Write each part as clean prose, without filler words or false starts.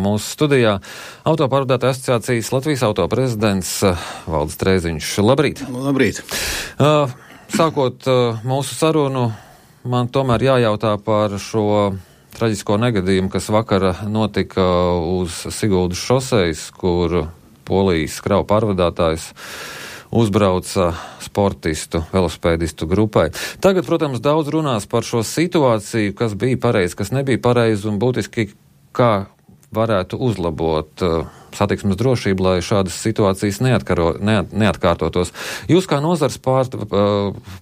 mūsu studijā autopārvadātāju asociācijas Latvijas auto prezidents Valdis Trēziņš. Labrīt! Labrīt! Sākot mūsu sarunu, man tomēr jājautā par šo traģisko negadījumu, kas vakar notika uz Siguldas šosejas, kur Polijas kravu pārvadātājs uzbrauca sportistu, velospēdistu grupai. Tagad, protams, daudz runās par šo situāciju, kas bija pareizi, kas nebija pareizi un būtiski, kā varētu uzlabot satiksmes drošību, lai šādas situācijas neatkārtotos. Jūs kā nozars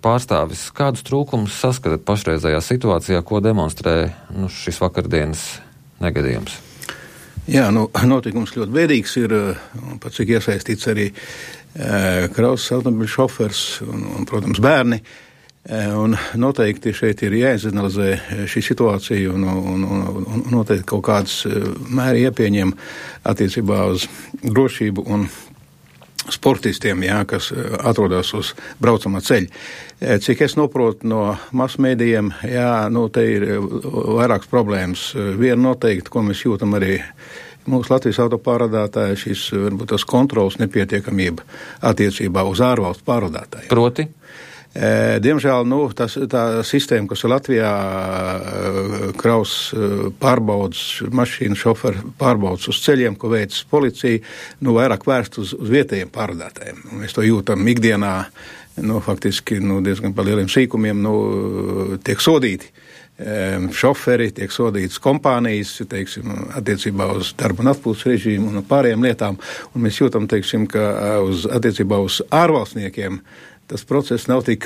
pārstāvis, kādus trūkumus saskatāt pašreizējā situācijā, ko demonstrē šis vakardienas negadījums? Jā, notikums ļoti bēdīgs ir, pat cik iesaistīts arī kravas automobiļu šofers un, protams, bērni. Un noteikti šeit ir jāizanalizē šī situācija un noteikti kaut kādas mēri jāpieņem attiecībā uz drošību un sportistiem, kas atrodas uz braucamā ceļa. Cik es noprotu no masmēdījiem, te ir vairākas problēmas. Viena noteikti, ko mēs jūtam arī mūsu Latvijas autopārvadātāji, šis varbūt tas kontrols nepietiekamība attiecībā uz ārvalstu pārvadātājiem. Proti? Diemžēl tā sistēma, kas ir Latvijā kravas pārbaudas, mašīnu šoferu pārbaudas uz ceļiem, ko veic policija, vairāk vērst uz vietējiem pārvadātājiem. Mēs to jūtam ikdienā, faktiski diezgan par lieliem sīkumiem tiek sodīti. Šoferi, tiek sodītas kompānijas, attiecībā uz darba un atpūtas režīmu un pārējām lietām, un mēs jūtam, ka attiecībā uz ārvalstniekiem tas process nav tik,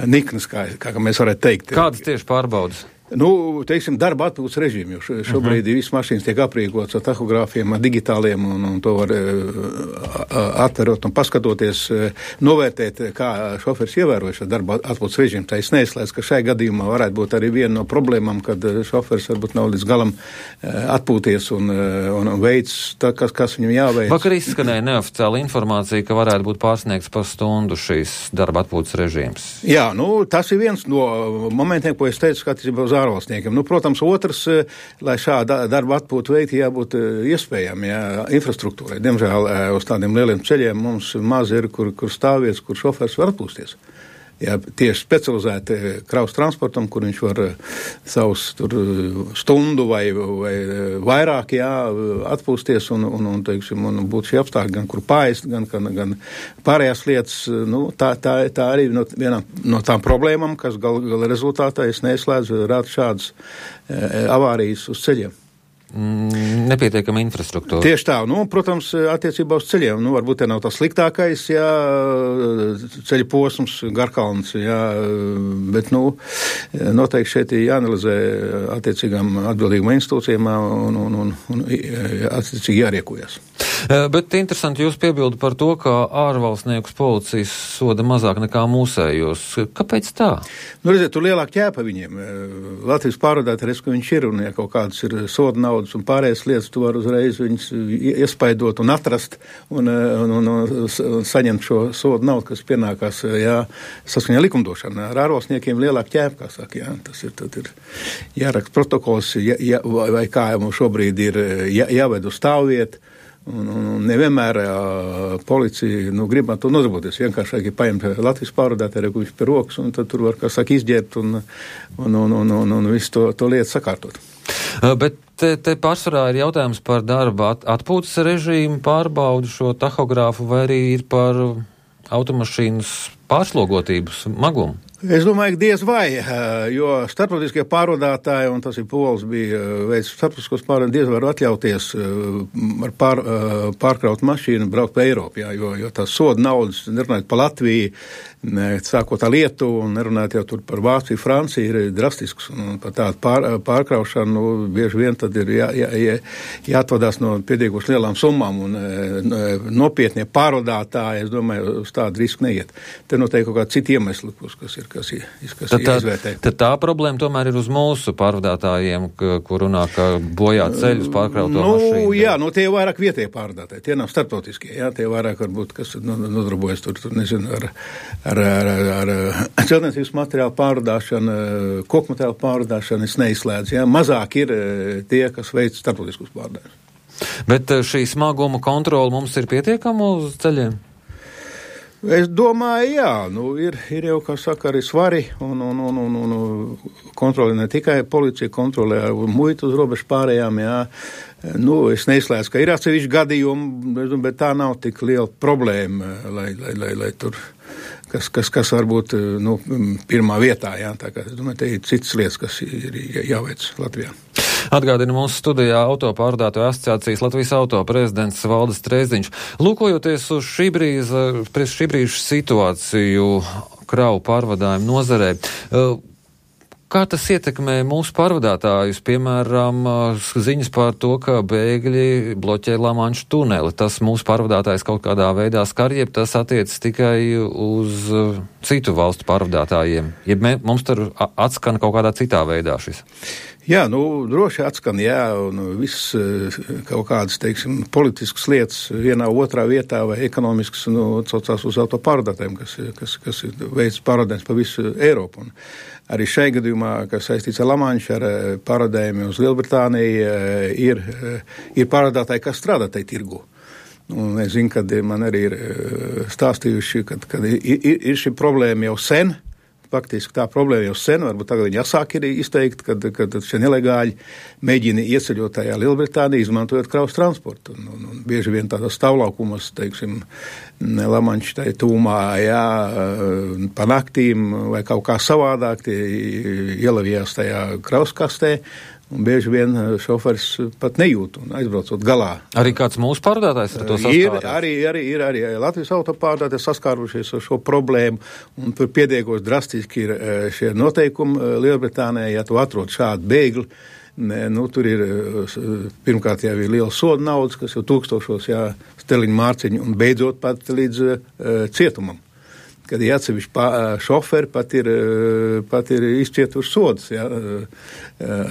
niknas, kā mēs varētu teikt. Kādas tieši pārbaudas? Darba atpūtas režīmu, jo šobrīd visas mašīnas tiek aprīkotas ar tahogrāfiem, ar digitāliem, un to var atverot un paskatoties, novērtēt, kā šoferis ievēroja šo darba atpūtas režīmu. Tā es neizslēdzu, ka šai gadījumā varētu būt arī viena no problēmām, kad šoferis varbūt nav līdz galam atpūties un veids, kas viņam jāveic. Vakar izskanēja neoficiāla informācija, ka varētu būt pārsniegts par stundu šīs darba atpūtas režīms. Jā, tas ir viens no momentiem, ko es teicu, attiecībā uz ārvalstniekiem. Protams, otrs, lai šāda darba atpūta veikti, jābūt iespējami, infrastruktūrai. Diemžēl uz tādiem lieliem ceļiem mums maz ir, kur stāvvietas, kur šofers var atpūsties. Tieši specializēti kravas transportam, kur viņš var savus stundu vai vairāk atpūsties un būt šī apstākļi, gan kur paēst, gan pārējās lietas. Tā arī viena no tām problēmām, kas gala rezultātā es neizslēdzu rāda šādas avārijas uz ceļiem. Nepietiekama infrastruktūra. Tieši tā. Protams, attiecībā uz ceļiem. Varbūt te nav tas sliktākais, ceļa posms, Garkalns, bet, noteikti šeit ir jāanalizē attiecīgām atbildīgām institūcijām un attiecīgi jāriekojas. Bet interesanti jūs piebildu par to, ka ārvalstniekus policijas soda mazāk nekā mūsējos. Kāpēc tā? Redziet, tur lielāk ķēpa viņiem. Latvijas pārvadātājs, ka viņš ir, un ja kaut kādas ir soda naudas un pārējās lietas, tu var uzreiz viņus iespaidot un atrast un saņemt šo soda naudu, kas pienākās, saskaņā likumdošana. Ar ārvalstniekiem lielāk ķēpa, kā saka, tas ir, tad ir jāraksta protokols, vai kā mums šobrīd ir jāved uz stāvvietu. Un nevienmēr policija grib ar to nodarboties. Vienkārši paņemt Latvijas pārvadātāju, ko viņš pie rokas, un tad tur var, izģērbt un visu to lietu sakārtot. Bet te pārsvarā ir jautājums par darba atpūtas režīmu, pārbaudu šo tahogrāfu, vai arī ir par automašīnas pārslogotības magumu? Es domāju, ka diez vai, jo starptautiskie pārvadātāji, un tas ir Pols, bija veids starptautiskos pārvadātājus, diez var atļauties ar pārkraut mašīnu braukt pa Eiropu, jo tās soda naudas, nerunājot pa Latviju, sākot ar Lietuvu un nerunājot jau tur par Vāciju, Franciju, ir drastisks, un par tādu pārkraušanu bieži vien tad ir jāatvadās no pietiekoši lielām summām, un nopietnie pārvadātāji, es domāju, uz tādu risku neiet. Te noteikti kaut kādi citi iemesli, kas ir izvērtē. Tad tā problēma tomēr ir uz mūsu pārvadātājiem, kur runā, ka bojā ceļus pārkrauto mašīnu. Jā, tie vairāk vietējie pārvadātāji, tie nav starptautiskie, tie vairāk varbūt, kas nodarbojas tur nezinu, ar ar celtniecības materiālu pārvadāšanu, koku materiālu pārvadāšanu es neizslēdzu. Ja? Mazāk ir tie, kas veic starptautiskus pārvadājumus. Bet šī smaguma kontrola mums ir pietiekama uz ceļiem? Es domāju, jā, ir jau, kā saka, arī svari un kontroli ne tikai policija, kontrolē muitu uz robežu pārējām, jā. Es neizslēdzu, ka ir atsevišķi gadījumi, bet tā nav tik liela problēma, lai tur, kas varbūt, pirmā vietā, jā, tā kā, es domāju, te ir citas lietas, kas ir jāveic Latvijā. Atgādina mūsu studijā autopārvadātāju asociācijas Latvijas auto prezidents Valdis Trēsdiņš. Lūkojoties uz šī brīža situāciju kravu pārvadājumu nozarē, kā tas ietekmē mūsu pārvadātājus, piemēram, ziņas par to, ka bēgļi bloķē Lamanšu tuneli? Tas mūsu pārvadātājs kaut kādā veidā skar, jeb tas attiecas tikai uz citu valstu pārvadātājiem? Jeb mums tur atskan kaut kādā citā veidā šis? Jā, droši atskan, jā, un viss kaut kādas, teiksim, politiskas lietas vienā otrā vietā vai ekonomiskas, atsaucās uz autopārvadātājiem, kas veic pārvadājumus pa visu Eiropu. Un arī šai gadījumā, kas saistīts ar Lamanšu, ar pārvadājumiem uz Lielbritāniju, ir pārvadātāji, kas strādā tai tirgu. Un es zinu, kad man arī ir stāstījuši, kad ir šī problēma jau sen. Faktiski tā problēma jau sen, varbūt tagad viņi jāsāk ir izteikt, kad šie nelegāļi mēģina ieceļot tajā Lielbritānijā, izmantojot kravas transportu. Un bieži vien tādos stāvlaukumos, teiksim, Lamanša tai tūmā, jā, pa naktīm vai kaut kā savādāk tie ielavījās tajā kravas kastē. Un bieži vien šoferis pat nejūt un aizbraucot galā. Arī kāds mūsu pārvadātājs ar to saskārās? Ir arī Latvijas autopārvadātāji saskārušies ar šo problēmu, un tur piediekos drastiski ir šie noteikumi Lielbritānijā, ja tu atrod šādu bēgli. Tur ir, pirmkārt jau ir liela soda naudas, kas jau tūkstošos, jā, steliņu mārciņu, un beidzot pat līdz cietumam. Kad ir atsevišķi šoferi, pat ir izcietuši sodas, jā,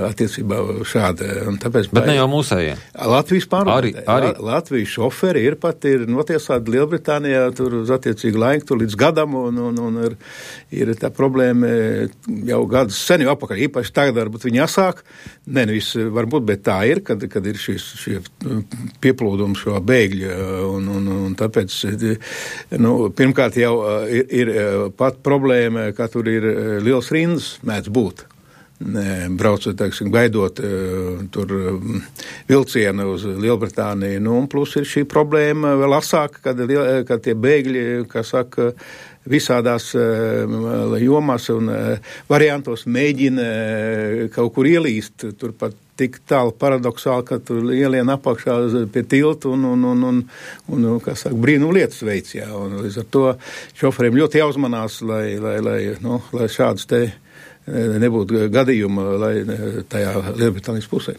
attiecībā šāda. Bet ne jau mūsējie. Latvijas pārvadātāji. Arī. Latvijas šoferi ir notiesāti Lielbritānijā tur uz attiecīgu laiku, tur līdz gadam, un ir tā problēma jau gadus sen jau apakaļ. Īpaši tagad varbūt viņi jāsāk. Viss varbūt, bet tā ir, kad ir šie pieplūdumi šo bēgļu, un tāpēc, pirmkārt jau ir pat problēma, ka tur ir liels rindas mēdz būt. Braucot, teiksim, gaidot tur vilcienu uz Lielbritāniju. Un plus ir šī problēma vēl asāka, kad tie bēgļi, kā saka, visādās jomās un variantos mēģina kaut kur ielīst, turpat tik tālu paradoksāli, ka tur ielien apakšā pie tiltu un kā saka, brīnum lietas veids, jā. Un līdz ar to šoferiem ļoti jāuzmanās, lai šādas te nebūtu gadījuma, lai tajā Lielbritānijas pusē.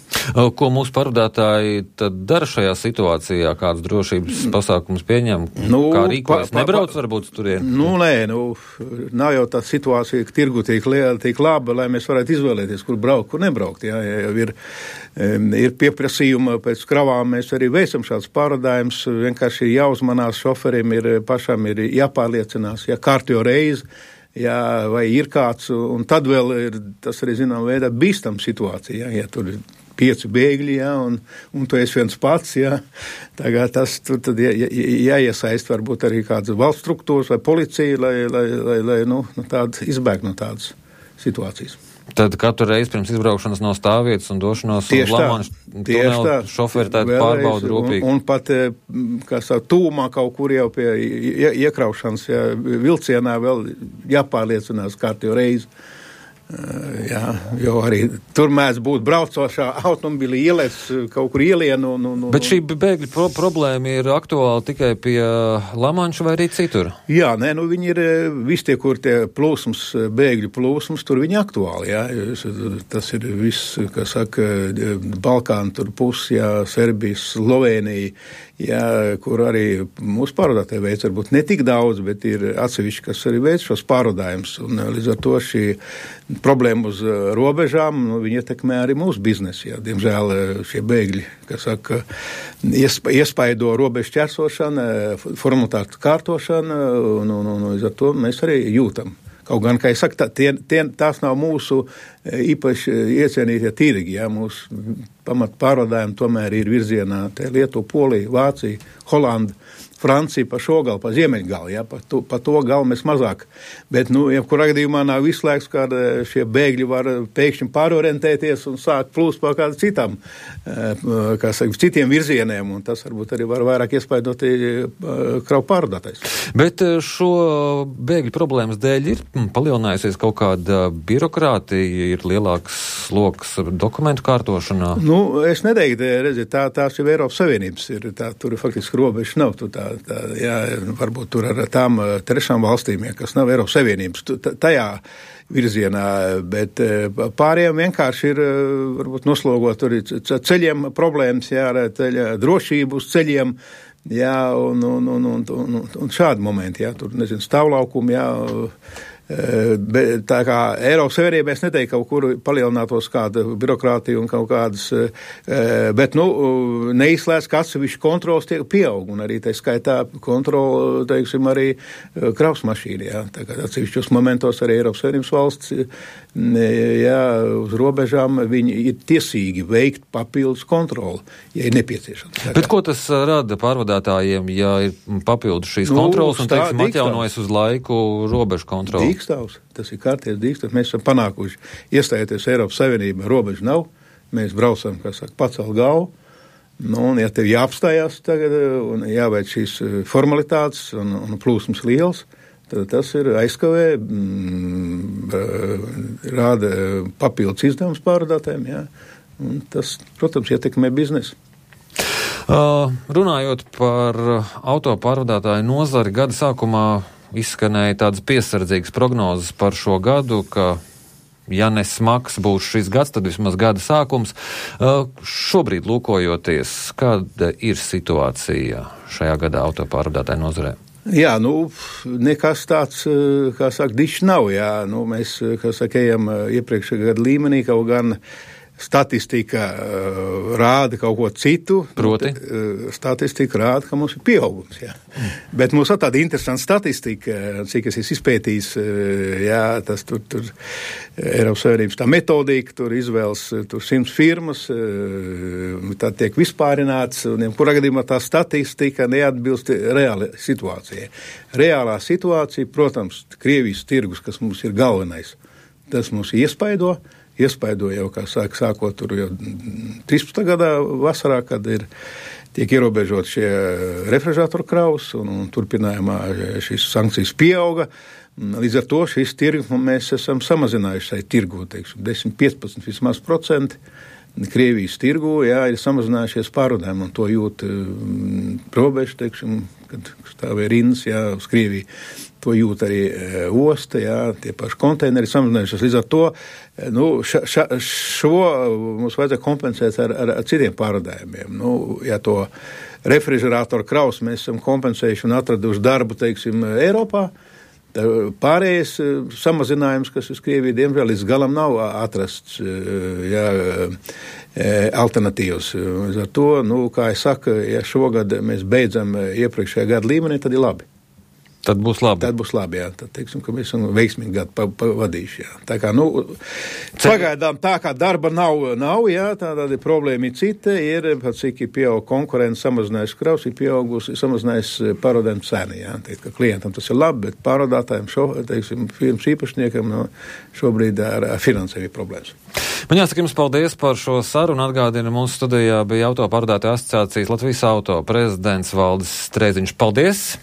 Ko mūsu pārvadātāji tad dara šajā situācijā? Kādas drošības pasākumus pieņem? Kā rīkojas? Nebrauc varbūt turien? Nav jau tā situācija, ka tirgu tiek laba, lai mēs varētu izvēlēties, kur braukt, kur nebraukt. Jā, ir pieprasījuma pēc kravām, mēs arī veicam šāds pārvadājums, vienkārši jāuzmanās šoferiem, pašam ir jāpārliecinās, ja kārtjo reizi, jā, vai ir kāds, un tad vēl ir tas arī, zinām, veidā bīstam situācija, ja tur ir 5 bēgļi, jā, un tu esi viens pats, jā. Tagad tas tur tad jāiesaist varbūt arī kādas valsts struktūras vai policija, lai tādu izbēgt no tādas situācijas. Tad katru reizi pirms izbraukšanas no stāvvietas un došanos uz Lamanšu tuneli šoferi tādu pārbaudu rūpīgi. Un pat, kā saka, tūmā kaut kur jau pie iekraušanas, jā, vilcienā vēl jāpārliecinās kārtīgi reizi. Jā, jo arī tur mēdz būt braucošā automobili ielēs kaut kur ielienu. Bet šī bēgļu problēma ir aktuāla tikai pie Lamanša vai arī citur? Jā, viņi ir visi tie, kur tie plūsums, bēgļu plūsums, tur viņi aktuāli, jā. Tas ir viss, kā saka, Balkānu tur pusi, jā, Serbija, Slovēnija, jā, kur arī mūsu pārvadātāji veic varbūt ne tik daudz, bet ir atsevišķi, kas arī veic šos pārvadājumus. Un līdz ar to šī problēma uz robežām, viņi ietekmē arī mūsu biznesu. Jā. Diemžēl šie bēgļi, kas saka, iespaido robežu ķersošana, formalitātes kārtošana, un līdz ar to mēs arī jūtam. Kaut gan, kā es saku, tās nav mūsu īpaši iecienītie tirgi, jā, mūsu pamat pārvadājumi tomēr ir virzienā Lietuva, Polija, Vācija, Holanda, Francija pa šo galu, pa ziemeļgalu, ja, pa to galu mēs mazāk. Bet, jebkurā gadījumā nav izslēgts, ka šie bēgļi var pēkšņi pārorientēties un sākt plūst pa kādam citam, citiem virzieniem, un tas varbūt arī var vairāk iespaidot kravu pārvadātais. Bet šo bēgļu problēmas dēļ ir palielinājusies kaut kāda birokrātija, ir lielāks sloks dokumentu kārtošanā? Es neteiktu, redziet, tās jau Eiropas Savienības ir, tur faktiski robežas nav, jā, varbūt tur ar tām trešām valstīm, ja, kas nav Eiropas Savienības, tajā virzienā, bet pārējiem vienkārši ir, varbūt noslogot tur ceļiem problēmas, jā, ceļa drošību uz ceļiem, jā, un šādi momenti, jā, tur, stāvlaukumi, jā, tā kā Eiropas Savienībā es neteiktu kaut kur palielinātos kāda birokrātija un kaut kādas, bet, neizslēdz, ka atsevišķi kontrols tiek pieaug, un arī tā skaitā kontrola, teiksim, arī kravas mašīna, jā, tā kā atsevišķos momentos arī Eiropas Savienības valsts, jā, uz robežām viņi ir tiesīgi veikt papildus kontroli, ja ir nepieciešams. Bet ko tas rada pārvadātājiem, ja ir papildus šīs kontrolas un, teiksim, atjaunojas uz laiku robežu kontroli? Dīkstāvs, tas ir kārties dīkstāvs. Mēs esam panākuši iestājoties Eiropas Savienībā, robežu nav, mēs braucam, kā saka, pacelt galvu, un ja tev jāapstājās tagad un jāveic šīs formalitātes un plūsmas liels, tad tas ir aizkavē, rāda papildus izdevums pārvadātājiem, jā, un tas, protams, ietekmē biznesu. Runājot par auto pārvadātāju nozari, gada sākumā izskanēja tādas piesardzīgas prognozes par šo gadu, ka, ja ne smags būs šis gads, tad vismaz gada sākums. Šobrīd lūkojoties, kāda ir situācija šajā gadā auto pārvadātāju nozarē? Jā, nekas tāds, kā saka, dišs nav, jā. Mēs, kā saka, ejam iepriekšējā gada līmenī, kaut gan statistika rāda kaut ko citu. Proti? Statistika rāda, ka mums ir pieaugums, jā. Bet mums ir tāda interesanta statistika, cik es izpētījis, jā, tas tur Eiropas Savienības tā metodika, tur izvēles, tur 100 firmas, tā tiek vispārināts, un kurā gadījumā tā statistika neatbilst reāli situācijai. Reālā situācija, protams, Krievijas tirgus, kas mums ir galvenais, tas mums iespaido jau, kā sākot tur jau 13. gadā vasarā, kad tiek ierobežot šie refrižeratoru kravas un turpinājumā šīs sankcijas pieauga. Līdz ar to šīs tirgus mēs esam samazinājuši šai tirgu, teiksim, 10-15 vismaz procenti. Krievijas tirgu, jā, ir samazinājušies pārvadājumi, un to jūt robežu, teiksim, kad stāvēja rindas, jā, uz Krieviju. To jūt arī osta, jā, tie paši konteineri samazinājušies. Līdz ar to, šo mums vajadzētu kompensēt ar citiem pārvadājumiem. Ja to refrižeratoru kravas mēs esam kompensējuši un atraduši darbu, teiksim, Eiropā, pārējais samazinājums, kas uz Krieviju, diemžēl, līdz galam nav atrasts, jā, alternatīvas. Ar to, kā es saku, ja šogad mēs beidzam iepriekšējā gada līmenī, tad ir labi. Tad būs labi. Tad būs labi, jā. Tad, teiksim, ka mēs esam veiksmīgi gadu pavadījuši, jā. Tā kā, pagaidām tā kā darba nav, jā, tāda problēma ir cita, ir, cik ir pieaug konkurence, samazinājis kravs, ir pieaugusi, samazinājis pārvadājumu cenu, jā. Teikt, ka klientam tas ir labi, bet pārvadātājiem teiksim, firmas īpašniekam šobrīd ar finansējumu problēmas. Man jāsaka jums paldies par šo sarunu. Atgādina, mūsu studijā bija auto pārvadātāju asociācijas Latvijas auto prezidents Valdis Streiziņš. Paldies!